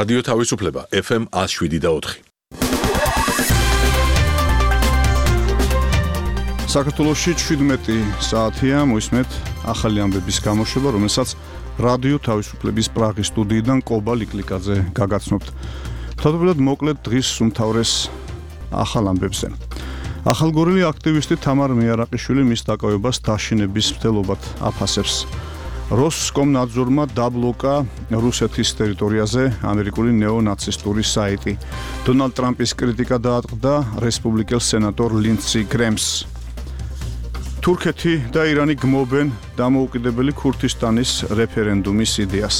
რადიო თავისუფლება FM 107.4. საქართველოში 17 საათია მოისმენთ ახალი ამბების გამოშვება, რომელსაც რადიო თავისუფლების პრაღის სტუდიიდან კობა ლიკლიკაძე გაგაცნობთ. თავდაპირველად მოკლედ დღის უმთავრეს ახალ ამბებზე. ახალგორილი აქტივისტი თამარ მიარაყიშვილი მის დაკავებას დაშინების მცდელობად აფასებს. როსკომნაძორმა დაბლოკა რუსეთის ტერიტორიაზე ამერიკული ნეონაცისტური საიტი. დონალდ ტრამპის კრიტიკა დაატყდა რესპუბლიკელ სენატორ ლინდსი გრემს. თურქეთი და ირანი გმობენ დამოუკიდებელი ქურთისტანის რეფერენდუმის იდეას.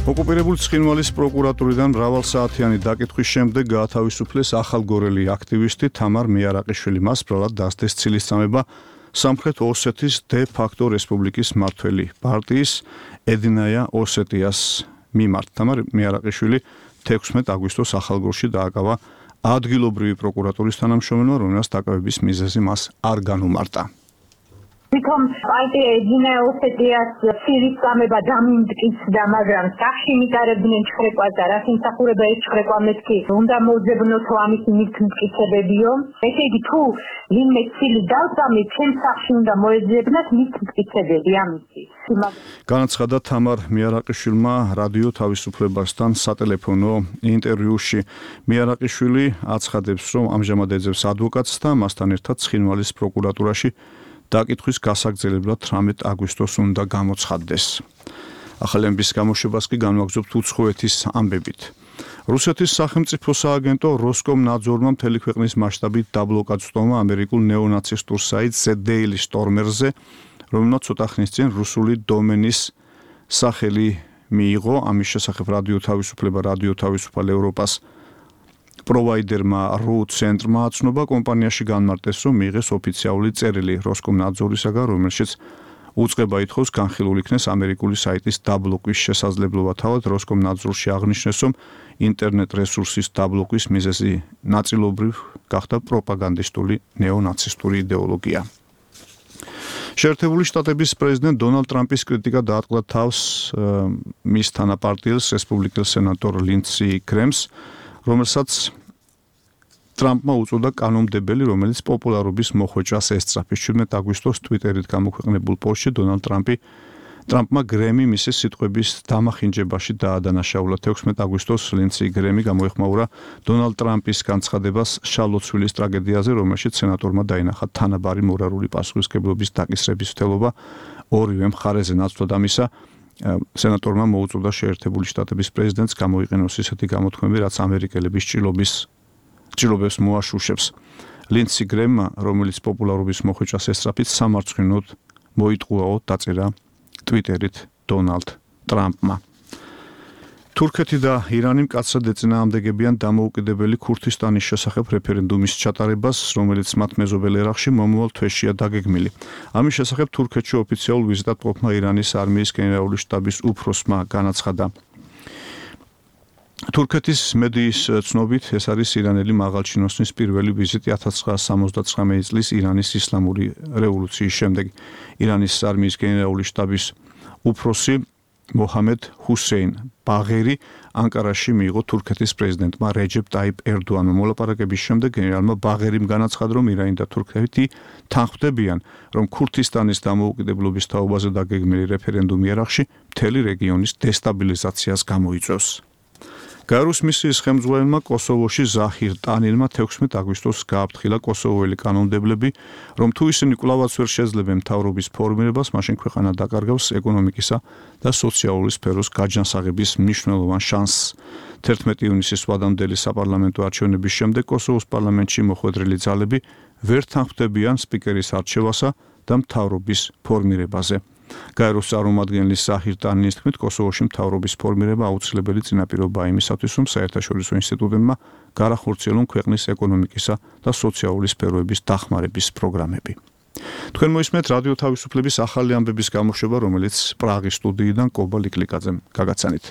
ოკუპირებული ცხინვალის პროკურატურიდან მრავალსაათიანი დაკითხვის შემდეგ გაათავისუფლეს ახალგორელი აქტივისტი თამარ მიარაყიშვილი. მას ბრალად დასდეს ცილისწამება სამხრეთ ოსეთის დე ფაქტო რესპუბლიკის მმართველი პარტიის ედინაია ოსეტიას მიმართ. თამარ მიარაყიშვილი 16 აგვისტოს ახალგორში დააკავა ადგილობრივი პროკურატურის თანამშრომელმა, რომელსაც დაკავების მიზეზი მას არ განუმარტა. თვითონ პარტია ედინაია ოსეტიას ცილისწამება დამიმტკიცდა, მაგრამ სახში მიტარებდნენ ჩხრეკვას და რაც იმსახურება ეს ჩხრეკვა მეთქი უნდა მოძებნოთო ამის მიტკიცებებიო. ესე იგი თუ ვინმე ცილი დავწამი ჩემს სახში უნდა მოეძებნათ მიტკიცებები ამისი. განაცხადა თამარ მიარაყიშვილმა რადიო თავისუფლებასთან სატელეფონო ინტერვიუში. მიარაყიშვილი აცხადებს, რომ ამჟამად ეძებს ადვოკატს და მასთან ერთად ცხინვალის პროკურატურაში დაკითხვის გასაგრძელებლად 18 აგვისტოს უნდა გამოცხადდეს. ახალი ამბის გამოშვებას კი განვაგრძობთ უცხოეთის ამბებით. რუსეთის სახელმწიფო სააგენტო როსკომნაძორმა მთელი ქვეყნის მასშტაბით დაბლოკა წვდომა ამერიკულ ნეონაცისტურ საიტ The Daily Stormer-ზე, რომელმაც ცოტა ხნის წინ რუსული დომენის სახელი მიიღო. ამის შესახებ რადიო თავისუფლება, რადიო თავისუფალ ევროპას პროვაიდერმა RU ცენტრმა აცნობა კომპანიაში განმარტეს, რომ მიიღეს ოფიციალური წერილი როსკომნაძორისაგან, რომელშიც უწყება ითხოვს განხილულ იქნეს ამერიკული საიტის დაბლოკვის შესაძლებლობა. თავად როსკომნაძორში აღნიშნეს, რომ ინტერნეტ რესურსის დაბლოკვის მიზეზი ნაწილობრივ გახდა პროპაგანდისტული ნეონაცისტური იდეოლოგია. შეერთებული შტატების პრეზიდენტ დონალდ ტრამპის კრიტიკა დაატყდა თავს მის თანაპარტიელს რესპუბლიკელ სენატორ ლინდსი გრემს, რომელსაც ტრამპმა უწოდა კანონმდებელი, რომელიც პოპულარობის მოხვეჭას ესწრაფის. 17 აგვისტოს ტვიტერით გამოქვეყნებულ პოსტში დონალდ ტრამპმა გრემი მისი სიტყვების დამახინჯებაში დაადანაშაულა. 16 აგვისტოს ლინდსი გრემი გამოეხმაურა დონალდ ტრამპის განცხადებას შალოცვილის ტრაგედიაზე, რომელშიც სენატორმა დაინახა თანაბარი მორალური პასუხისმგებლობის დაკისრების მცდელობა ორივე მხარეზე. ნაცვლად ამისა, სენატორმა მოუწოდა შეერთებული შტატების პრეზიდენტს გამოიყენოს ისეთი გამოთქმები, რაც ამერიკელების ჭრილობებს მოაშუშებს. ლინდსი გრემმა, რომელიც პოპულარობის მოხვეჭას ესწრაფით სამარცხვინოდ მოიტყუაო, დაწერა ტვიტერით დონალდ ტრამპმა. თურქეთი და ირანი მკაცრად ეწინააღმდეგებიან დამოუკიდებელი ქურთისტანის შესახებ რეფერენდუმის ჩატარებას, რომელიც მათ მეზობელ ერაყში მომავალ თვეშია დაგეგმილი. ამის შესახებ თურქეთში ოფიციალურ ვიზიტად მყოფმა ირანის არმიის გენერალური შტაბის უფროსმა განაცხადა. თურქეთის მედიის ცნობით, ეს არის ირანელი მაღალჩინოსნის პირველი ვიზიტი 1979 წლის ირანის ისლამური რევოლუციის შემდეგ. ირანის არმიის გენერალური შტაბის უფროსი მოჰამედ ჰუსეინ ბაღერი ანკარაში მიიღო თურქეთის პრეზიდენტმა რეჯეპ ტაიპ ერდოანმა. მოლაპარაკების შემდეგ გენერალმა ბაღერიმ განაცხადა, რომ ირანი და თურქეთი თანხმდებიან, რომ ქურთისტანის დამოუკიდებლობის თაობაზე დაგეგმილი რეფერენდუმი ერაყში მთელი რეგიონის დესტაბილიზაციას გამოიწვევს. გაეროს მისიის ხელმძღვანელმა კოსოვოში ზაჰირ ტანილმა 16 აგვისტოს გააფრთხილა კოსოვოელი კანონმდებლები, რომ თუ ისინი კვლავაც ვერ შეძლებენ მთავრობის ფორმირებას, მაშინ ქვეყანა დაკარგავს ეკონომიკისა და სოციალური სფეროს გაჯანსაღების მნიშვნელოვან შანსს. 11 ივნისის ვადამდელი საპარლამენტო არჩევნების შემდეგ კოსოვოს პარლამენტში მოხვედრილი ძალები ვერ თანხმდებიან სპიკერის არჩევასა და მთავრობის ფორმირებაზე. გაეროს წარმომადგენლის ზაჰირ ტანილის თქმით, კოსოვოში მთავრობის ფორმირება აუცილებელი წინაპირობაა იმისათვის, რომ საერთაშორისო ინსტიტუტებმა გაახორციელონ ქვეყნის ეკონომიკისა და სოციალური სფეროების დახმარების პროგრამები. თქვენ მოისმენთ რადიო თავისუფლების ახალი ამბების გამოშვება, რომელიც პრაღის სტუდიიდან კობა ლიკლიკაძემ გაგაცანით.